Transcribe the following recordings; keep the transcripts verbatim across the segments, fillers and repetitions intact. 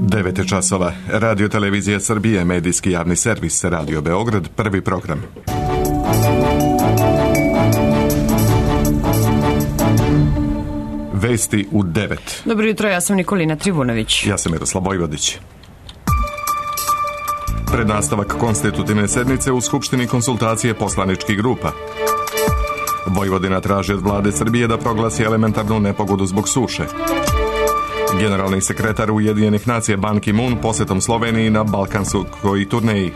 devet je časova. Radio Televizija Srbije, medijski javni servis, Radio Beograd, prvi program. Vesti u devet. Dobro jutro, ja sam Nikolina Trivunović. Ja sam Miroslav Vojvodić. Pred nastavak konstitutivne sednice u Skupštini konsultacije poslaničkih grupa. Vojvodina traži od vlade Srbije da proglasi elementarnu nepogodu zbog suše. Generalni sekretar Ujedinjenih nacija Ban Ki-moon posetom Sloveniji na balkanskoj turneji.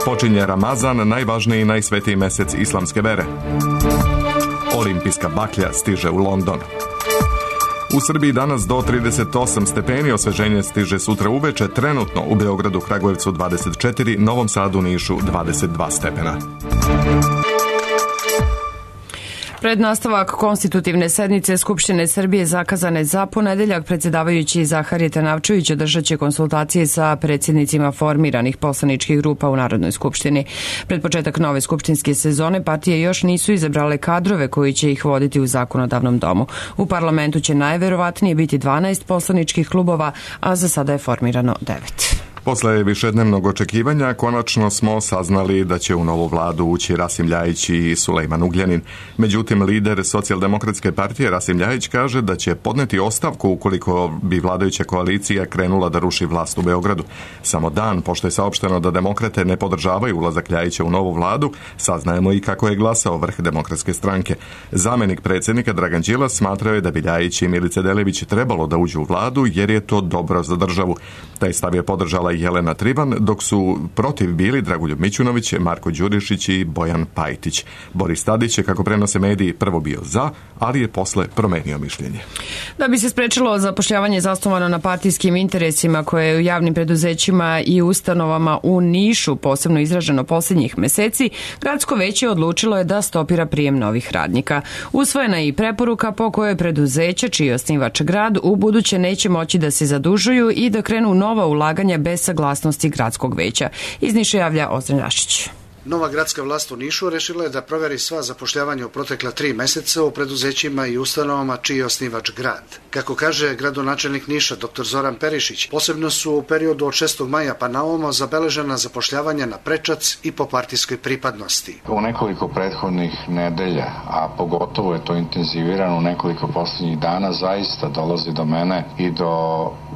Počinje Ramazan, najvažniji i najsvetiji mesec islamske vere. Olimpijska baklja stiže u London. U Srbiji danas do trideset osam stepeni, osveženje stiže sutra uveče, trenutno u Beogradu, Kragujevcu dvadeset četiri, Novom Sadu, Nišu dvadeset dva stepena. Pred nastavak konstitutivne sednice Skupštine Srbije zakazane za ponedeljak, predsjedavajući Zaharije Trnavčević održat će konsultacije sa predsjednicima formiranih poslaničkih grupa u Narodnoj skupštini. Pred početak nove skupštinske sezone partije još nisu izabrale kadrove koji će ih voditi u zakonodavnom domu. U parlamentu će najverovatnije biti dvanaest poslaničkih klubova, a za sada je formirano devet. Posle višednevnog očekivanja konačno smo saznali da će u novu vladu ući Rasim Ljajić i Sulejman Ugljanin. Međutim, lider Socijaldemokratske partije Rasim Ljajić kaže da će podneti ostavku ukoliko bi vladajuća koalicija krenula da ruši vlast u Beogradu. Samo dan pošto je saopšteno da demokrate ne podržavaju ulazak Ljajića u novu vladu, saznajemo i kako je glasao vrh Demokratske stranke. Zamenik predsjednika Dragan Đilas smatrao je da bi Ljajić i Milica Delević trebalo da uđu u vladu jer je to dobro za državu. Taj stav je podržala Jelena Trivan, dok su protiv bili Dragoljub Mićunović, Marko Đurišić i Bojan Pajtić. Boris Tadić je, kako prenose mediji, prvo bio za, ali je posle promenio mišljenje. Da bi se sprečilo zapošljavanje zasnovano na partijskim interesima koje je u javnim preduzećima i ustanovama u Nišu posebno izraženo posljednjih meseci, gradsko veće odlučilo je da stopira prijem novih radnika. Usvojena je i preporuka po kojoj preduzeća, čiji je osnivač grad, u buduće neće moći da se zadužuju i da krenu nova ulaganja bez saglasnosti gradskog veća. Iz Niša javlja Ozren Rašić. Nova gradska vlast u Nišu rešila je da proveri sva zapošljavanja u protekla tri meseca u preduzećima i ustanovama čiji je osnivač grad. Kako kaže gradonačelnik Niša, dr Zoran Perišić, posebno su u periodu od šestog maja pa na ovamo zabeležena zapošljavanja na prečac i po partijskoj pripadnosti. U nekoliko prethodnih nedelja, a pogotovo je to intenzivirano u nekoliko posljednjih dana, zaista dolazi do mene i do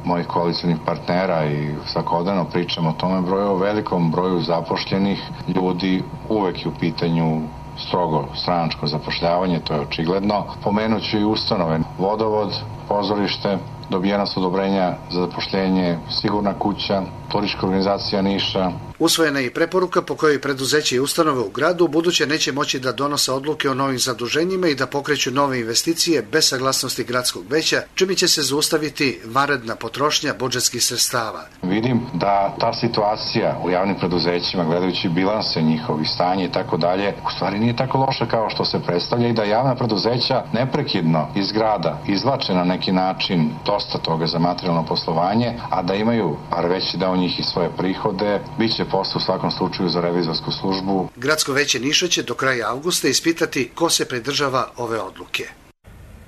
mojih koalicijnih partnera i svakodnevno pričamo o tome broju, o velikom broju zapošljenih ljudi, uvek je u pitanju strogo stranačko zapošljavanje, to je očigledno. Pomenuću i ustanove, vodovod, pozorište, dobijena su odobrenja za zapošljenje, Sigurna kuća, Turistička organizacija Niša. Usvojena je i preporuka po kojoj preduzeće i ustanove u gradu buduće neće moći da donose odluke o novim zaduženjima i da pokreću nove investicije bez saglasnosti gradskog veća, čime će se zaustaviti vanredna potrošnja budžetskih sredstava. Vidim da ta situacija u javnim preduzećima, gledajući bilanse njihovih stanja i tako dalje, u stvari nije tako loša kao što se predstavlja i da javna preduzeća neprekidno iz grada izvlače na neki način dosta toga za materijalno poslovanje, a da imaju, par veći deo njih i svoje prihode, bit će posle u svakom slučaju za revizorsku službu. Gradsko veće Niša će do kraja avgusta ispitati ko se pridržava ove odluke.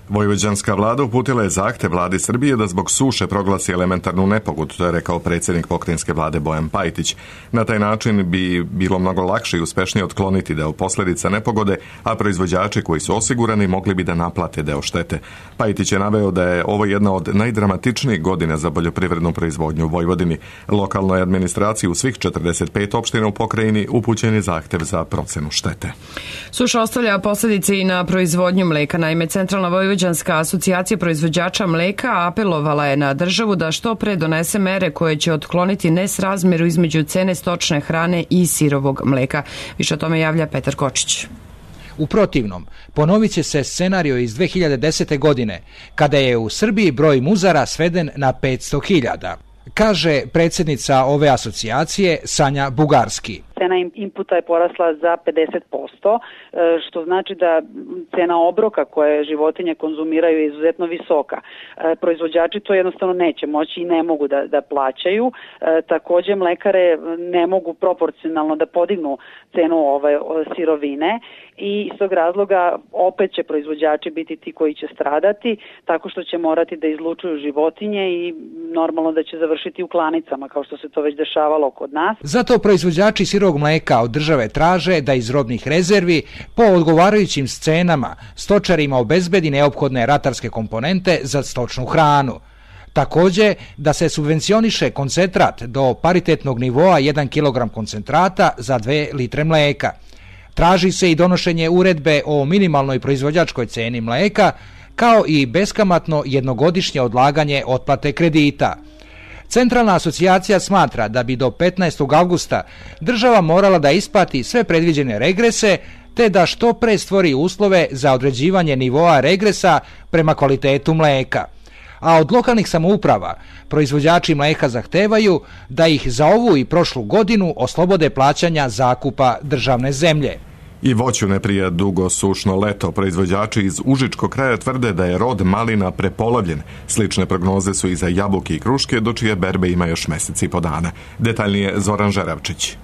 Vojvođanska vlada uputila je zahtev vladi Srbije da zbog suše proglasi elementarnu nepogodu, to je rekao predsjednik pokrajinske vlade Bojan Pajtić. Na taj način bi bilo mnogo lakše i uspešnije otkloniti deo posljedica nepogode, a proizvođači koji su osigurani mogli bi da naplate deo štete. Pajtić je naveo da je ovo jedna od najdramatičnijih godina za poljoprivrednu proizvodnju u Vojvodini. Lokalnoj administraciji u svih četrdeset pet opština u pokrajini upućen je zahtev za procenu štete. Suša ostavlja posljedice i na proizvodnju mleka. Naime, Centralna Vojvodina Vojvođanska asocijacija proizvođača mleka apelovala je na državu da što pre donese mere koje će otkloniti nesrazmeru između cene stočne hrane i sirovog mleka. Više o tome javlja Petar Kočić. U protivnom, ponovit će se scenario iz dve hiljade desete. godine, kada je u Srbiji broj muzara sveden na petsto hiljada. Kaže predsjednica ove asocijacije Sanja Bugarski. Cena inputa je porasla za pedeset posto, što znači da cena obroka koje životinje konzumiraju je izuzetno visoka. Proizvođači to jednostavno neće moći i ne mogu da, da plaćaju. Također mlekare ne mogu proporcionalno da podignu cenu ove sirovine i iz tog razloga opet će proizvođači biti ti koji će stradati tako što će morati da izlučuju životinje i normalno da će završiti u klanicama, kao što se to već dešavalo kod nas. Zato proizvođači sirovog mlijeka od države traže da iz robnih rezervi po odgovarajućim scenama stočarima obezbedi neophodne ratarske komponente za stočnu hranu. Također da se subvencioniše koncentrat do paritetnog nivoa jedan kilogram koncentrata za dve litre mlijeka. Traži se i donošenje uredbe o minimalnoj proizvođačkoj ceni mlijeka, kao i beskamatno jednogodišnje odlaganje otplate kredita. Centralna asocijacija smatra da bi do petnaestog avgusta država morala da isplati sve predviđene regrese, te da što pre stvori uslove za određivanje nivoa regresa prema kvalitetu mlijeka. A od lokalnih samouprava proizvođači mlijeka zahtevaju da ih za ovu i prošlu godinu oslobode plaćanja zakupa državne zemlje. I voću ne prije dugo sušno leto. Proizvođači iz Užičkog kraja tvrde da je rod malina prepolovljen. Slične prognoze su i za jabuke i kruške, do čije berbe ima još mesec i po dana. Detaljnije Zoran Žeravčić.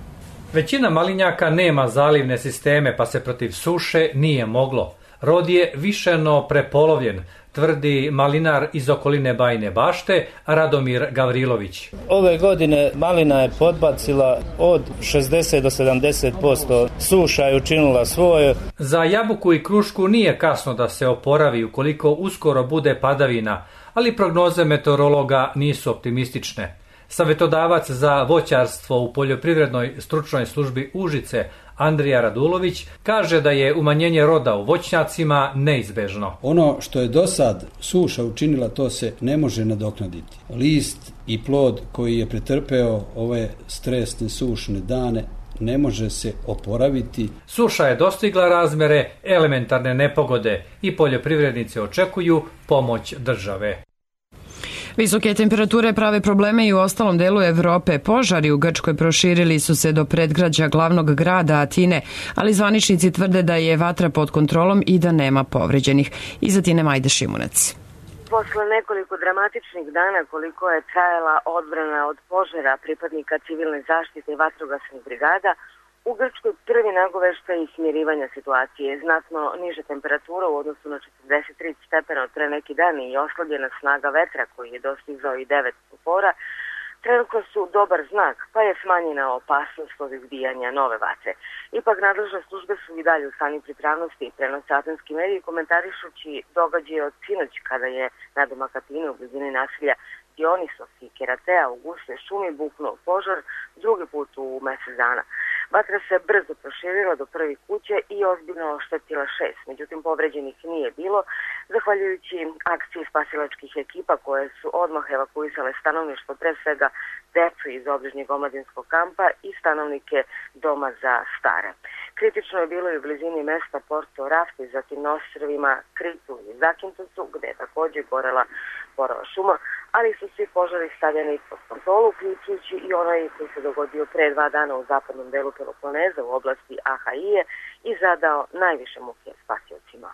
Većina malinjaka nema zalivne sisteme, pa se protiv suše nije moglo. Rod je višeno prepolovljen, tvrdi malinar iz okoline Bajine Bašte, Radomir Gavrilović. Ove godine malina je podbacila od šezdeset do sedamdeset posto, suša je učinila svoje. Za jabuku i krušku nije kasno da se oporavi ukoliko uskoro bude padavina, ali prognoze meteorologa nisu optimistične. Savjetodavac za voćarstvo u poljoprivrednoj stručnoj službi Užice, Andrija Radulović, kaže da je umanjenje roda u voćnjacima neizbežno. Ono što je do sad suša učinila, to se ne može nadoknaditi. List i plod koji je pretrpeo ove stresne sušne dane ne može se oporaviti. Suša je dostigla razmere elementarne nepogode i poljoprivrednici očekuju pomoć države. Visoke temperature prave probleme i u ostalom delu Evrope. Požari u Grčkoj proširili su se do predgrađa glavnog grada Atine, ali zvaničnici tvrde da je vatra pod kontrolom i da nema povređenih. Iz Atine Majda Šimunac. Posle nekoliko dramatičnih dana koliko je trajala odbrana od požara pripadnika civilne zaštite i vatrogasnih brigada, u Grčkoj prvi nagoveštaj i smirivanja situacije. Znatno niže temperatura u odnosu na četrdeset tri stepena od pre neki dan i oslabljena snaga vetra koji je dostizao i devet stupora, trenutno su dobar znak, pa je smanjena opasnost od izbijanja nove vatre. Ipak nadležne službe su i dalje u stanju pripravnosti i prenose atenski mediji komentarišući događaje od sinoć kada je na domak Atine u blizini naselja Dionisos i Keratea u gustoj šumi buknuo požar drugi put u mesec dana. Vatra se brzo proširila do prvih kuće i ozbiljno oštetila šest, međutim povređenih nije bilo, zahvaljujući akciji spasilačkih ekipa koje su odmah evakuisale stanovništvo, pre svega decu iz obližnjeg omladinskog kampa i stanovnike doma za stare. Kritično je bilo i u blizini mesta Porto Rafti, zatim na ostrvima Kritu i Zakintosu, gde je također gorela borova šuma, ali su svi požari stavljeni pod kontrolu, uključujući i onaj koji se dogodio pre dva dana u zapadnom delu Peloponeza u oblasti Ahaije i zadao najviše muke spasiocima.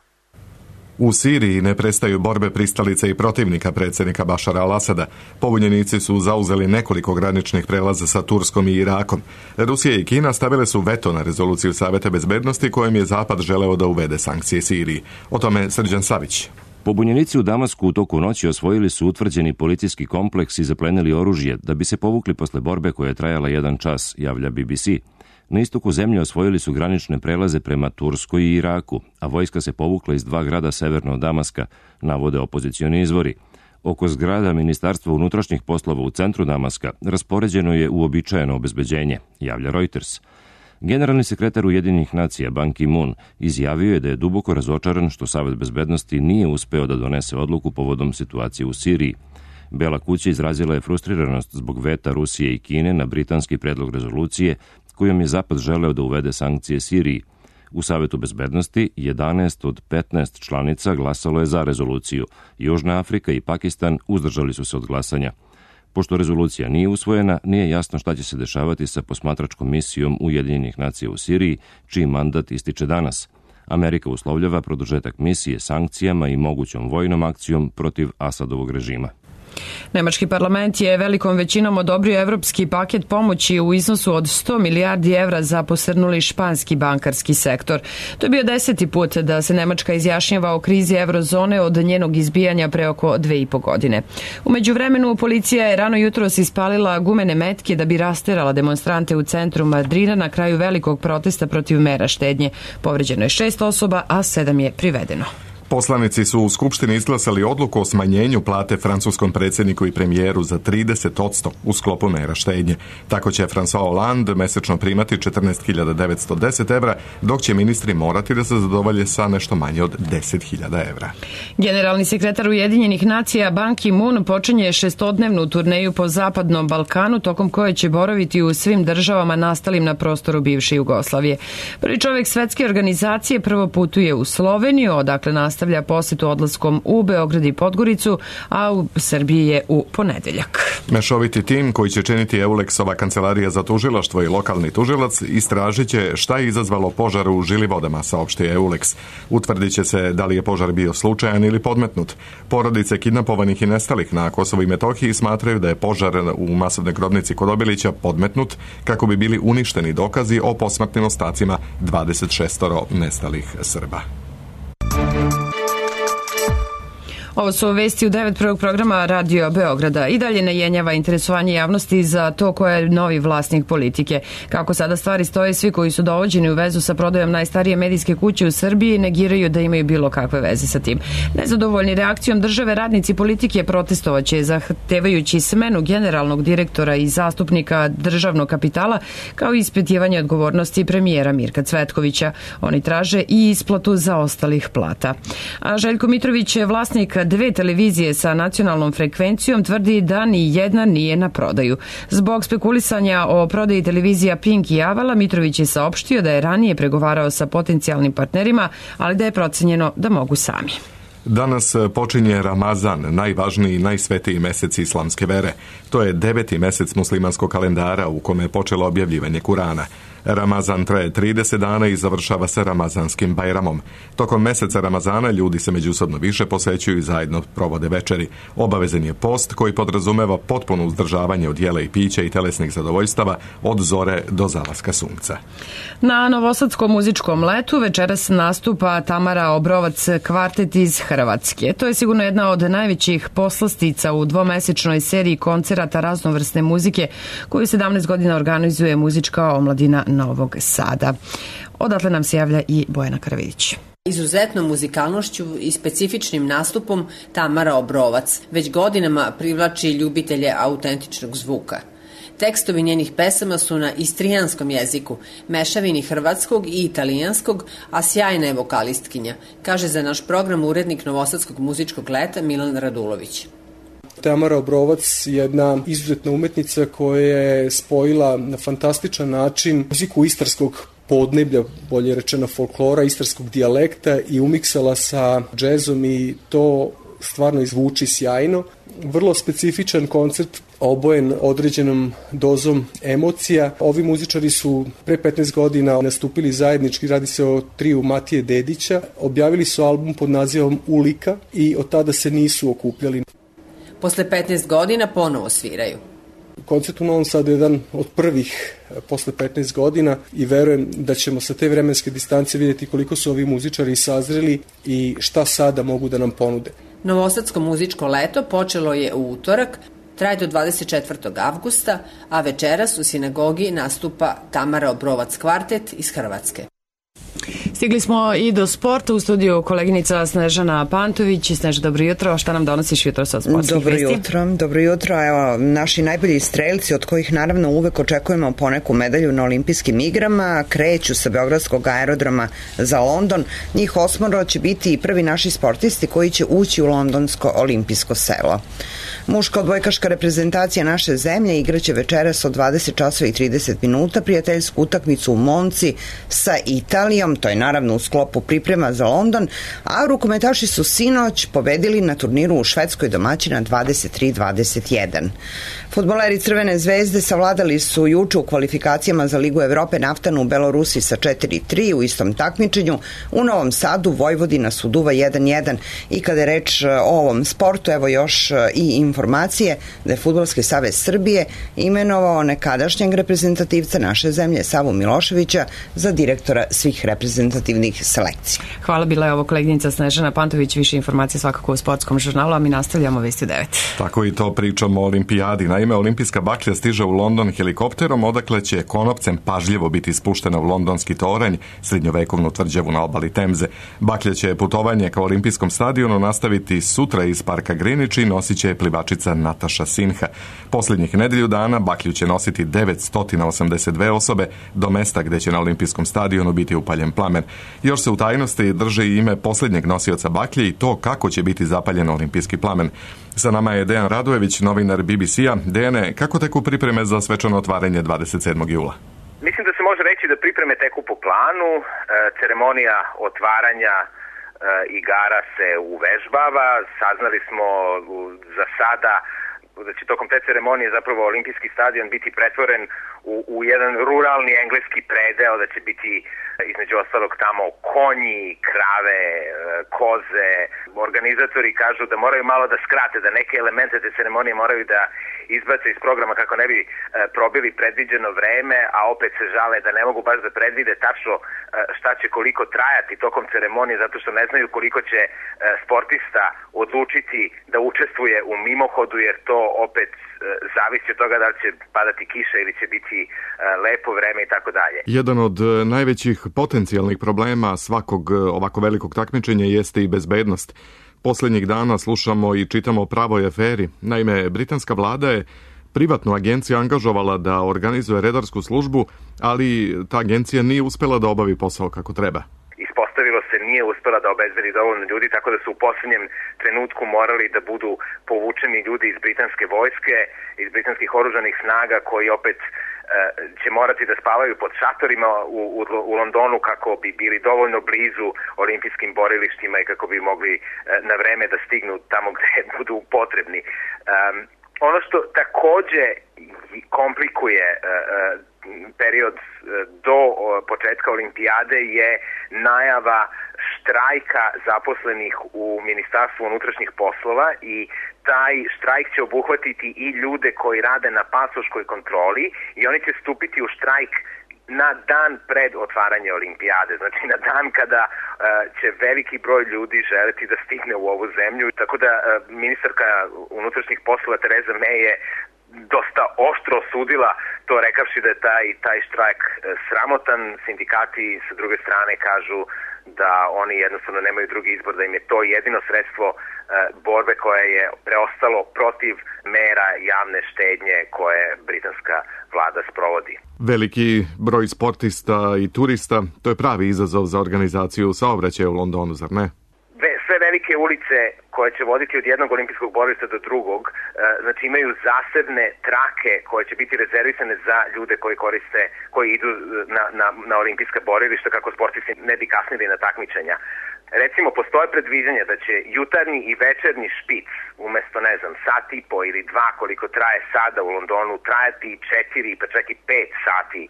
U Siriji ne prestaju borbe pristalica i protivnika predsjednika Bašara al-Asada. Pobunjenici su zauzeli nekoliko graničnih prelaza sa Turskom i Irakom. Rusija i Kina stavile su veto na rezoluciju Saveta bezbednosti kojom je Zapad želeo da uvede sankcije Siriji. O tome Srđan Savić. Pobunjenici u Damasku u toku noći osvojili su utvrđeni policijski kompleks i zaplenili oružje da bi se povukli posle borbe koja je trajala jedan čas, javlja B B C. Na istoku zemlje osvojili su granične prelaze prema Turskoj i Iraku, a vojska se povukla iz dva grada severno od Damaska, navode opozicioni izvori. Oko zgrada Ministarstva unutrašnjih poslova u centru Damaska raspoređeno je uobičajeno obezbeđenje, javlja Reuters. Generalni sekretar Ujedinjenih nacija Ban Ki-moon izjavio je da je duboko razočaran što Savet bezbednosti nije uspeo da donese odluku povodom situacije u Siriji. Bela kuća izrazila je frustriranost zbog veta Rusije i Kine na britanski predlog rezolucije kojom je Zapad želeo da uvede sankcije Siriji. U Savetu bezbednosti jedanaest od petnaest članica glasalo je za rezoluciju. Južna Afrika i Pakistan uzdržali su se od glasanja. Pošto rezolucija nije usvojena, nije jasno šta će se dešavati sa posmatračkom misijom Ujedinjenih nacija u Siriji, čiji mandat ističe danas. Amerika uslovljava produžetak misije sankcijama i mogućom vojnom akcijom protiv Asadovog režima. Nemački parlament je velikom većinom odobrio evropski paket pomoći u iznosu od sto milijardi evra za posrnuli španski bankarski sektor. To je bio deseti put da se Nemačka izjašnjava o krizi eurozone od njenog izbijanja pre oko dve i po godine. U međuvremenu policija je rano jutros ispalila gumene metke da bi rasterala demonstrante u centru Madrida na kraju velikog protesta protiv mera štednje. Povređeno je šest osoba, a sedam je privedeno. Poslanici su u Skupštini izglasali odluku o smanjenju plate francuskom predsjedniku i premijeru za trideset posto u sklopu mera štednje. Tako će François Hollande mesečno primati četrnaest hiljada devetsto deset evra, dok će ministri morati da se zadovolje sa nešto manje od deset hiljada evra. Generalni sekretar Ujedinjenih nacija Ban Ki-moon počinje šestodnevnu turneju po Zapadnom Balkanu, tokom koje će boraviti u svim državama nastalim na prostoru bivše Jugoslavije. Prvi čovjek svetske organizacije prvo putuje u Sloveniju, odakle nastavlja nastavlja posetu odlaskom u Beograd i Podgoricu, a u Srbiji je u ponedeljak. Mešoviti tim koji će činiti Eulexova kancelarija za tužilaštvo i lokalni tužilac istražit će šta je izazvalo požar u Žilivodama, saopštio Eulex. Utvrdit će se da li je požar bio slučajan ili podmetnut. Porodice kidnapovanih i nestalih na Kosovu i Metohiji smatraju da je požar u masovnoj grobnici kod Obilića podmetnut kako bi bili uništeni dokazi o posmrtnim ostacima dvadeset šest nestalih Srba. Ovo su vesti u devet prvog programa Radio Beograda. I dalje ne jenjava interesovanje javnosti za to ko je novi vlasnik politike. Kako sada stvari stoje, svi koji su dovođeni u vezu sa prodajom najstarije medijske kuće u Srbiji negiraju da imaju bilo kakve veze sa tim. Nezadovoljni reakcijom države, radnici politike protestovaće zahtevajući smenu generalnog direktora i zastupnika državnog kapitala, kao i ispitivanje odgovornosti premijera Mirka Cvetkovića. Oni traže i isplatu zaostalih plata. A Željko Mitrović je vlasnik dve televizije sa nacionalnom frekvencijom, tvrdi da ni jedna nije na prodaju. Zbog spekulisanja o prodaji televizija Pink i Avala, Mitrović je saopštio da je ranije pregovarao sa potencijalnim partnerima, ali da je procenjeno da mogu sami. Danas počinje Ramazan, najvažniji i najsvetiji mesec islamske vere. To je deveti mesec muslimanskog kalendara u kome je počelo objavljivanje Kurana. Ramazan traje trideset dana i završava se Ramazanskim Bajramom. Tokom meseca Ramazana ljudi se međusobno više posećuju i zajedno provode večeri. Obavezan je post koji podrazumeva potpuno uzdržavanje od jela i pića i telesnih zadovoljstava od zore do zalaska sunca. Na Novosadskom muzičkom letu večeras nastupa Tamara Obrovac kvartet iz Hrvatske. To je sigurno jedna od najvećih poslastica u dvomesečnoj seriji koncerata raznovrsne muzike koju sedamnaest godina organizuje muzička omladina Novog Sada. Odatle nam se javlja i Bojana Karavidić. Izuzetnom muzikalnošću i specifičnim nastupom Tamara Obrovac već godinama privlači ljubitelje autentičnog zvuka. Tekstovi njenih pesama su na istrijanskom jeziku, mešavini hrvatskog i italijanskog, a sjajna je vokalistkinja, kaže za naš program urednik Novosadskog muzičkog leta Milan Radulović. Tamara Obrovac je jedna izuzetna umetnica koja je spojila na fantastičan način muziku istarskog podneblja, bolje rečeno folklora, istarskog dijalekta i umiksala sa džezom i to stvarno izvuči sjajno. Vrlo specifičan koncert obojen određenom dozom emocija. Ovi muzičari su pre petnaest godina nastupili zajednički, radi se o triju Matije Dedića. Objavili su album pod nazivom Ulika i od tada se nisu okupljali. Posle petnaest godina ponovo sviraju. Koncert u Novom Sadu je jedan od prvih posle petnaest godina i verujem da ćemo sa te vremenske distance vidjeti koliko su ovi muzičari sazreli i šta sada mogu da nam ponude. Novosadsko muzičko leto počelo je u utorak, traje do dvadeset četvrtog avgusta, a večeras u sinagogi nastupa Tamara Obrovac kvartet iz Hrvatske. Stigli smo i do sporta, u studiju koleginica Snežana Pantović. Sneža, dobro jutro, šta nam donosiš jutro sa sportskih dobro vesti? Jutro, dobro jutro, evo, naši najbolji strelci od kojih naravno uvek očekujemo poneku medalju na olimpijskim igrama, kreću sa Beogradskog aerodroma za London. Njih osmoro će biti i prvi naši sportisti koji će ući u londonsko olimpijsko selo. Muška odbojkaška reprezentacija naše zemlje igraće večeras od dvadeset časova i trideset minuta prijateljsku utakmicu u Monci sa Italijom, to je naravno u sklopu priprema za London, a rukometaši su sinoć pobedili na turniru u Švedskoj domaćina dvadeset tri dvadeset jedan. Fudbaleri Crvene zvezde savladali su juče u kvalifikacijama za Ligu Evrope Naftanu u Belorusiji sa četiri tri u istom takmičenju. U Novom Sadu Vojvodina suduva jedan jedan i kada je reč o ovom sportu, evo još i informacije da je Fudbalski savez Srbije imenovao nekadašnjeg reprezentativca naše zemlje Savu Miloševića za direktora svih reprezentativnih selekcija. Hvala, bila je ovo koleginica Snežana Pantović. Više informacije svakako u sportskom žurnalu, a mi nastavljamo Vesti u devet. Tako i to pričamo o olimpijadi. Naime, olimpijska baklja stiže u London helikopterom, odakle će konopcem pažljivo biti spuštena u londonski toranj, srednjovekovnu tvrđavu na obali Temze. Baklja će putovanje ka olimpijskom stadionu nastaviti sutra iz parka Greenwich i nosit će plivačica Nataša Sinha. Posljednjih nedelju dana baklju će nositi devetsto osamdeset dve osobe do mesta gde će na olimpijskom stadionu biti upaljen plamen. Još se u tajnosti drži ime posljednjeg nosioca baklje i to kako će biti zapaljen olimpijski plamen. Sa nama je Dejan Radojević, novinar B B C-a. Dejane, kako teku pripreme za svečano otvaranje dvadeset sedmog jula? Mislim da se može reći da pripreme teku po planu. E, ceremonija otvaranja e, igara se uvežbava. Saznali smo za sada da će tokom te ceremonije zapravo olimpijski stadion biti pretvoren u, u jedan ruralni engleski predeo, da će biti između ostalog tamo konji, krave, koze. Organizatori kažu da moraju malo da skrate, da neke elemente te ceremonije moraju da izbace iz programa kako ne bi probili predviđeno vreme, a opet se žale da ne mogu baš da predvide tačno šta će koliko trajati tokom ceremonije, zato što ne znaju koliko će sportista odlučiti da učestvuje u mimohodu, jer to opet zavisi od toga da li će padati kiša ili će biti lepo vreme i tako dalje. Jedan od najvećih potencijalnih problema svakog ovako velikog takmičenja jeste i bezbednost. Posljednjih dana slušamo i čitamo o pravoj aferi. Naime, britanska vlada je privatnu agenciju angažovala da organizuje redarsku službu, ali ta agencija nije uspela da obavi posao kako treba. Ispostavilo se nije uspela da obezbedi dovoljno ljudi, tako da su u posljednjem trenutku morali da budu povučeni ljudi iz britanske vojske, iz britanskih oružanih snaga, koji opet e, će morati da spavaju pod šatorima u, u, u Londonu kako bi bili dovoljno blizu olimpijskim borilištima i kako bi mogli e, na vreme da stignu tamo gde budu potrebni. Um, ono što takođe komplikuje e, period do početka olimpijade je najava štrajka zaposlenih u Ministarstvu unutrašnjih poslova i taj štrajk će obuhvatiti i ljude koji rade na pasoškoj kontroli i oni će stupiti u štrajk na dan pred otvaranje olimpijade, znači na dan kada uh, će veliki broj ljudi želeti da stigne u ovu zemlju, tako da uh, ministarka unutrašnjih poslova Tereza May je dosta oštro osudila to, rekavši da je taj, taj štrajk sramotan. Sindikati sa druge strane kažu da oni jednostavno nemaju drugi izbor, da im je to jedino sredstvo e, borbe koje je preostalo protiv mera javne štednje koje britanska vlada sprovodi. Veliki broj sportista i turista, to je pravi izazov za organizaciju saobraćaja u Londonu, zar ne? Sve velike ulice koje će voditi od jednog olimpijskog borilišta do drugog, znači imaju zasebne trake koje će biti rezervisane za ljude koji koriste, koji idu na, na, na olimpijska borilišta kako sportisti ne bi kasnili na takmičenja. Recimo, postoje predviđanja da će jutarnji i večernji špic umesto, ne znam, sat i po ili dva koliko traje sada u Londonu, trajati četiri pa čak i pet sati.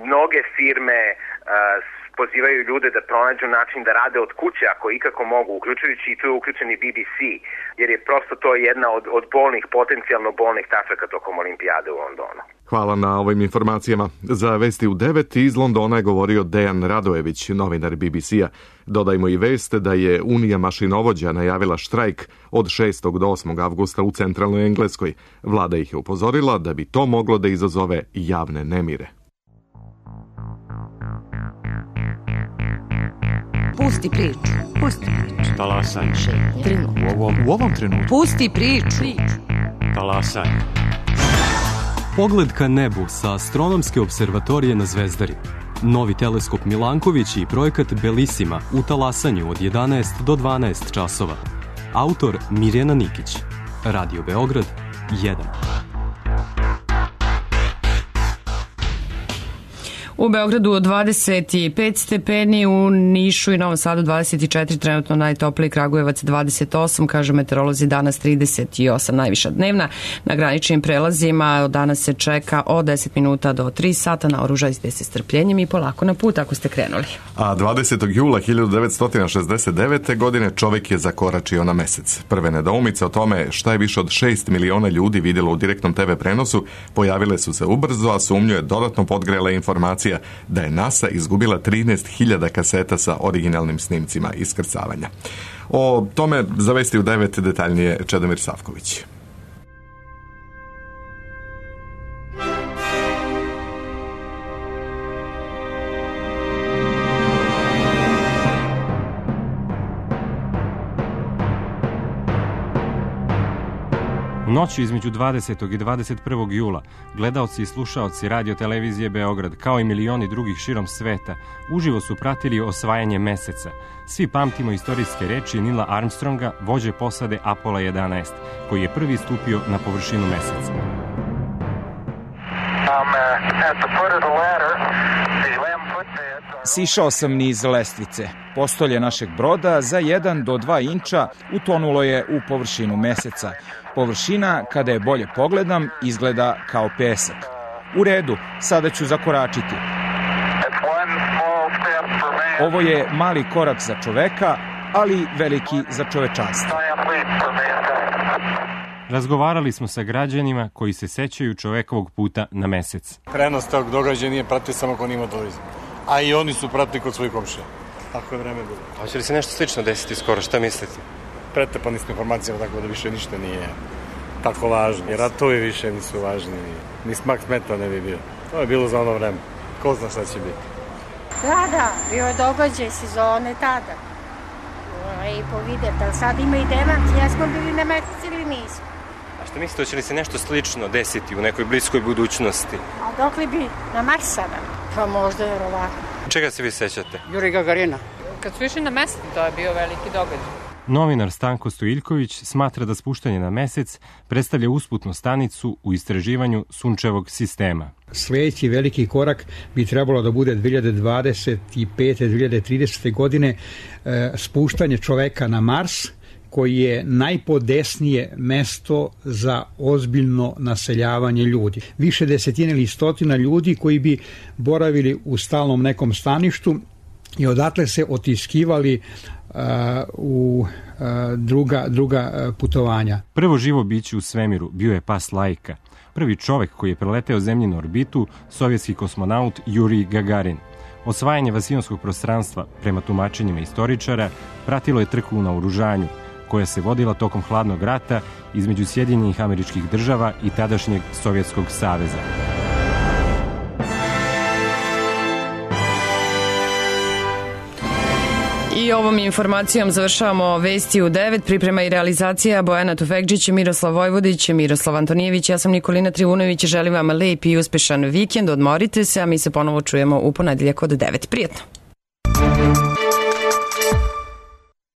Mnoge firme uh, pozivaju ljude da pronađu način da rade od kuće ako ikako mogu, uključujući i tu je uključen i B B C, jer je prosto to jedna od, od bolnih, potencijalno bolnih tačaka tokom olimpijade u Londonu. Hvala na ovim informacijama. Za Vesti u devet iz Londona je govorio Dejan Radojević, novinar B B C-a. Dodajmo i vest da je Unija mašinovođa najavila štrajk od šestog do osmog avgusta u centralnoj Engleskoj. Vlada ih je upozorila da bi to moglo da izazove javne nemire. Pusti priču. Pusti priču. Talasaj. Trenutno. U ovom, u ovom trenutku. Pusti priču. Talasaj. Pogled ka nebu sa astronomske observatorije na Zvezdari. Novi teleskop Milanković i projekat Belissima u talasanju od jedanaest do dvanaest časova. Autor Mirjana Nikić. Radio Beograd jedan. U Beogradu dvadeset pet stepeni, u Nišu i Novom Sadu dvadeset četiri, trenutno najtopliji, Kragujevac dvadeset osam, kažu meteorolozi danas trideset osam, najviša dnevna. Na graničnim prelazima danas se čeka od deset minuta do tri sata, naoružajte se strpljenjem i polako na put ako ste krenuli. A dvadesetog jula hiljadu devetsto šezdeset devete. godine čovjek je zakoračio na mesec. Prve nedoumice o tome šta je više od šest miliona ljudi vidjelo u direktnom te ve prenosu pojavile su se ubrzo, a sumnju je dodatno podgrela informacija da je NASA izgubila trinaest hiljada kaseta sa originalnim snimcima iskrcavanja. O tome zavesti u devet detaljnije Čedomir Savković. Noću između dvadesetog i dvadeset prvog jula gledaoci i slušaoci radio televizije Beograd, kao i milioni drugih širom sveta, uživo su pratili osvajanje meseca. Svi pamtimo istorijske reči Nila Armstronga, vođe posade Apollo jedanaest, koji je prvi stupio na površinu meseca. Sišao sam niz lestvice. Postolje našeg broda za jedan do dva inča utonulo je u površinu meseca. Površina, kada je bolje pogledam, izgleda kao pesak. U redu, sada ću zakoračiti. Ovo je mali korak za čoveka, ali veliki za čovečanstvo. Razgovarali smo sa građanima koji se sećaju čovekovog puta na mesec. Prenos tog događaja nije pratio samo ko nima televiziju, a i oni su pratili kod svojih komšija. Tako je vreme bilo. Hoće li se nešto slično desiti skoro, šta mislite? Pretepani smo informacijama, tako da više ništa nije tako važno. I ratovi više nisu važni, ni smak smeta ne bi bio. To je bilo za ono vreme. Ko zna šta će biti? Da, da, bio je događaj sezone tada. I povidete, ali sad ima i demant, jesmo bili na mesec ili nismo. A što mislite, hoće li se nešto slično desiti u nekoj bliskoj budućnosti? A dok li bi na Mars sada? Pa možda verovatno. Čega se vi sećate? Juri Gagarina. Kad su išli na mesec, to je bio veliki događaj. Novinar Stanko Stojiljković smatra da spuštanje na mesec predstavlja usputnu stanicu u istraživanju sunčevog sistema. Sljedeći veliki korak bi trebalo da bude dve hiljade dvadeset pete do dve hiljade tridesete. godine e, spuštanje čoveka na Mars, koji je najpodesnije mesto za ozbiljno naseljavanje ljudi. Više desetine ili stotina ljudi koji bi boravili u stalnom nekom staništu i odatle se otiskivali uh, u uh, druga, druga uh, putovanja. Prvo živo biće u svemiru bio je pas Laika. Prvi čovek koji je preleteo zemljinu orbitu, sovjetski kosmonaut Juri Gagarin. Osvajanje vasijonskog prostranstva, prema tumačenjima istoričara, pratilo je trku u naoružanju, koja se vodila tokom hladnog rata između Sjedinjenih Američkih Država i tadašnjeg Sovjetskog saveza. I ovom informacijom završavamo vesti u devet. Priprema i realizacija Bojana Tufekđić, Miroslav Vojvodić, Miroslav Antonijević, ja sam Nikolina Trivunović. Želim vam lep i uspešan vikend, odmorite se, a mi se ponovo čujemo u ponedeljak od devet. Prijetno!